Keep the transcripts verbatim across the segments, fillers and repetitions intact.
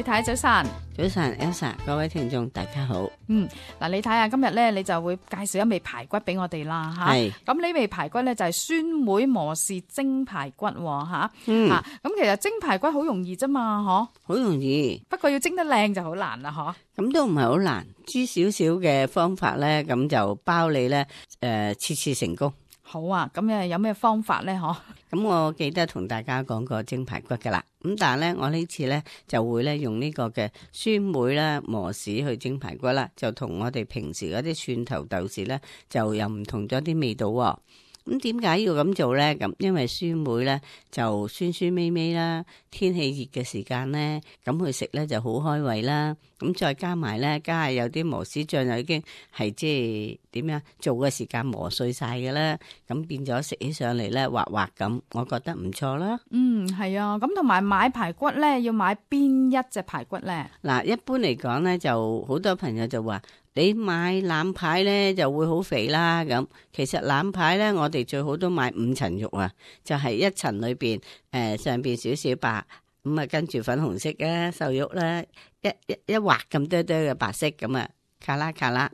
太早晨。早晨 Elsa， 各位聽眾大家好。嗯，嗱，你睇下今日咧，你就會介紹一味排骨俾我哋啦，吓。係。咁呢味排骨咧就係酸梅磨豉蒸排骨，吓。嗯。吓，咁其實蒸排骨好容易啫嘛，嗬。好容易。不過要蒸得靚就好難啦，嗬。咁都唔係好難，知少少嘅方法咧，咁就包你咧，誒、呃，次次成功。好啊，咁誒有咩方法咧？嗬。咁我記得同大家講過蒸排骨噶啦，咁但係咧我呢次咧就會咧用呢個嘅酸梅啦磨豉去蒸排骨啦，就同我哋平時嗰啲蒜頭豆豉咧就又唔同咗啲味道喎。咁點解要咁做咧？咁因為酸梅咧就酸酸味味啦，天氣熱嘅時間咧，咁去食咧就好開胃啦。咁再加埋咧，加下有啲磨豉醬就已經係即係點樣做嘅時間磨碎晒嘅啦。咁變咗食起上嚟咧滑滑咁，我覺得唔錯啦。嗯，係啊。咁同埋買排骨咧，要買邊一隻排骨咧？嗱，一般嚟講咧，就好多朋友就話，你買腩排咧就會好肥啦。咁其實腩排咧，我哋最好都買五層肉啊，就係、是、一層裏邊誒、呃、上邊少少白，咁啊跟住粉紅色嘅瘦肉啦，一一一劃咁多多嘅白色咁啊，卡啦卡啦。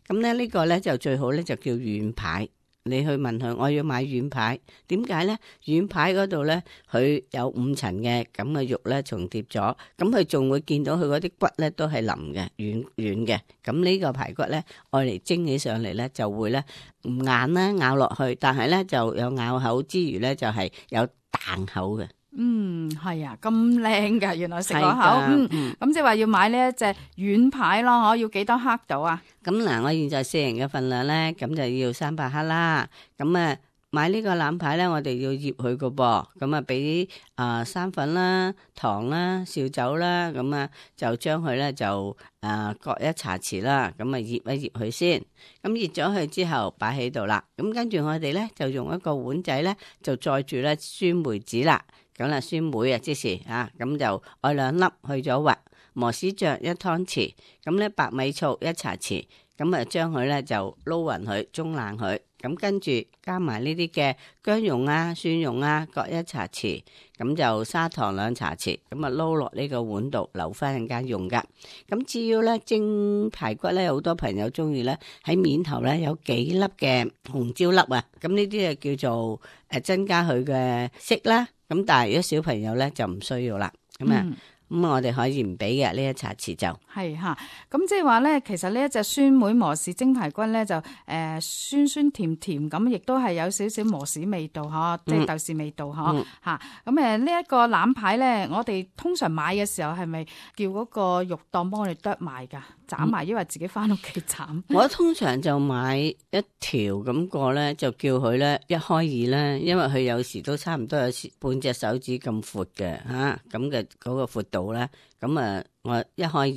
咁咧呢個咧就最好咧就叫軟排。你去問佢，我要買軟排，點解咧？軟排嗰度咧，佢有五層嘅咁嘅肉咧重疊咗，咁佢仲會見到佢嗰啲骨咧都係腍嘅、軟軟嘅。咁呢個排骨咧，愛嚟蒸起上嚟咧就會咧唔硬啦，咬落去，但係咧就有咬口之餘咧就係有彈口嘅。嗯，係啊，咁靚噶，原來食落口。嗯，咁即係話要買呢一隻軟排咯，嗬，要幾多克到啊？咁嗱，我現在四人嘅份量咧，咁就要三百克啦。咁啊，買呢個腩排咧，我哋要醃佢個噃。咁啊，俾啊生粉啦、糖啦、紹酒啦，咁啊就將佢咧就啊各一茶匙啦。咁啊醃一醃佢先。咁醃咗佢之後擺喺度啦。咁跟住我哋咧就用一個碗仔咧就載住咧酸梅子啦。咁啦，酸梅啊，即是啊，咁就愛兩粒去咗核，磨豉醬一湯匙，咁咧白米醋一茶匙，咁啊將佢咧就撈匀佢，中爛佢，咁跟住加埋呢啲嘅薑蓉啊、蒜蓉啊各一茶匙，咁就砂糖兩茶匙，咁啊撈落呢個碗度，留翻陣間用噶。咁至於咧蒸排骨咧，好多朋友中意咧喺面頭咧有幾粒嘅紅椒粒啊，咁呢啲就叫做誒增加佢嘅色啦。咁但係如果小朋友咧就唔需要啦，咁啊咁我哋可以唔俾嘅呢一茶匙就係吓，咁即係話咧，其實呢一隻酸梅磨豉蒸排骨咧就誒、呃、酸酸甜甜咁，亦都係有少少磨豉味道嗬，即係豆豉味道嗬吓。咁誒呢一個腩排咧，我哋通常買嘅時候係咪叫嗰個肉檔幫我哋剁埋噶？斬埋，因為自己翻屋企斬。我通常就買一條咁個咧，就叫佢咧一開二啦，因為佢有時都差唔多有半隻手指咁闊嘅吓，咁嘅嗰個闊度咧，咁啊我一開二，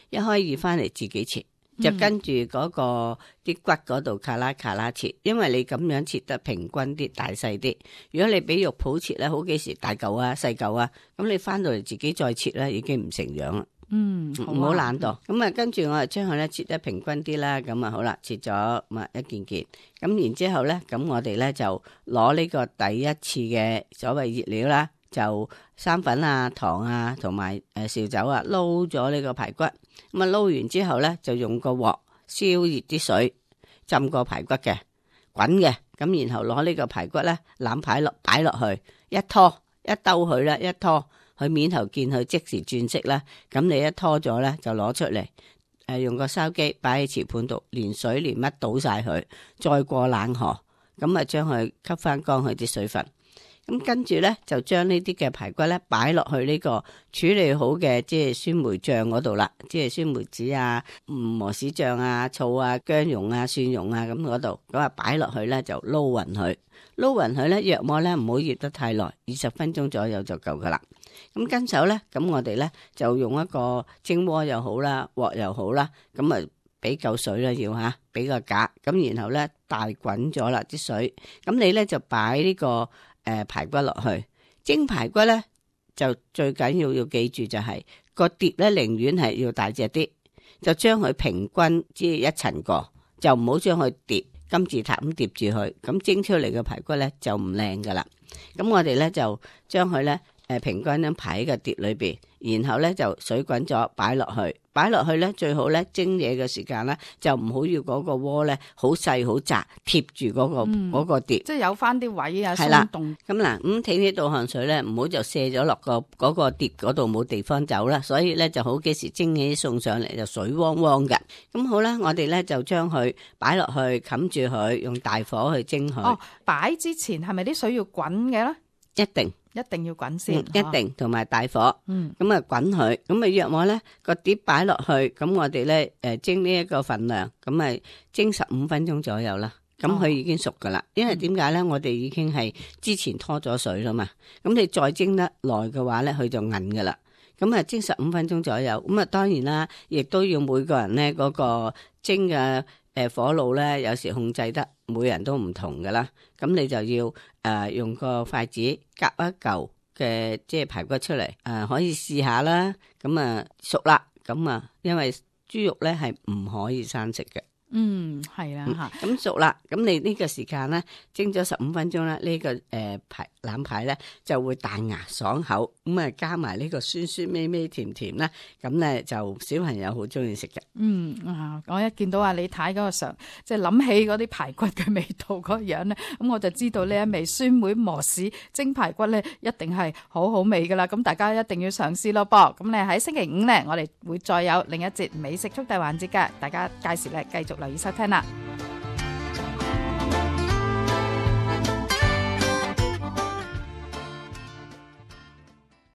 一開二翻嚟自己切，就跟住嗰個啲骨嗰度卡拉卡拉切，因為你咁樣切得平均啲，大細啲。如果你俾肉鋪切咧，好幾時大嚿啊、細嚿啊，咁你翻到嚟自己再切咧，已經唔成樣啦。嗯，唔好懶惰，咁啊，跟住我就將佢咧切得平均啲啦，咁啊好啦，切咗咁一件件，咁然之後咧，咁我哋咧就攞呢個第一次嘅所謂醃料啦，就生粉啊、糖啊同埋誒紹酒啊，撈咗呢個排骨，咁啊撈完之後咧，就用個鑊燒熱啲水，浸個排骨嘅滾嘅，咁然後攞呢個排骨咧攬排落擺落去，一拖一兜佢啦，一拖。佢面頭見佢即時轉色啦，咁你一拖咗咧就攞出嚟，誒、呃、用個筲箕擺喺瓷盤度，連水連乜倒晒佢，再過冷河，咁啊將佢吸翻乾佢啲水分，咁跟住咧就將呢啲嘅排骨咧擺落去呢個處理好嘅即係酸梅醬嗰度啦，即係酸梅子啊、磨豉醬啊、醋啊、薑蓉啊、蒜蓉啊咁嗰度，咁啊擺落去咧就撈勻佢，撈勻佢咧約莫咧唔好醃得太耐，二十分鐘左右就夠噶啦。咁跟手咧，咁我哋咧就用一個蒸鍋又好啦，鑊又好啦，咁啊俾夠水啦要吓，俾個架，咁然後咧大滾咗啦啲水，咁你咧就擺呢、這個誒、呃、排骨落去蒸排骨咧，就最緊要要記住就係、是、個碟咧寧願係要大隻啲，就將佢平均即係一層過，就唔好將佢疊金字塔咁疊住佢，咁蒸出嚟嘅排骨咧就唔靚噶啦。咁我哋咧就將佢咧誒平均咁排喺個碟裏邊，然後咧就水滾咗擺落去，擺落去咧最好咧蒸嘢嘅時間咧就唔好要嗰個鍋咧好細好窄貼住嗰、嗰個嗰、嗯、個碟，即係有翻啲位啊鬆動。咁嗱咁睇呢道汗水咧，唔好就卸咗落個嗰個碟嗰度冇地方走啦，所以咧就好幾時蒸起送上嚟就水汪汪嘅。咁好啦，我哋咧就將佢擺落去冚住佢，用大火去蒸佢。哦，擺之前係咪啲水要滾嘅咧？一定。一定要滾先，嗯、一定同埋大火，嗯，咁啊滾佢，咁啊約我咧個碟擺落去，咁我哋咧誒蒸呢一個份量，咁啊蒸十五分鐘左右啦，咁佢已經熟噶啦。因為點解咧？我哋已經係之前拖咗水啦嘛，咁你再蒸得耐嘅話咧，佢就韌噶啦。咁啊蒸十五分鐘左右，咁啊當然啦，亦都要每個人咧嗰個蒸嘅誒火爐咧，有時控制得每人都唔同噶啦。咁你就要誒、呃、用個筷子夾一嚿嘅即係排骨出嚟，誒、呃、可以試下啦。咁啊熟啦，咁啊因為豬肉咧係唔可以生食嘅。嗯，係啦吓。咁、嗯、熟啦，咁你呢個時間咧蒸咗十五分鐘啦，呢、這個誒排腩排咧就會彈牙爽口，咁啊加埋呢個酸酸味味甜甜啦，咁咧就小朋友好中意食嘅。嗯啊，我一見到阿李太嗰個上，即係諗起嗰啲排骨嘅味道嗰樣咧，咁我就知道呢一味酸梅磨豉蒸排骨咧，一定係好好味噶啦。咁大家一定要嘗試咯噃。咁咧喺星期五咧，我哋會再有另一節美食速遞環節嘅，大家屆時咧繼續留意收聽啦。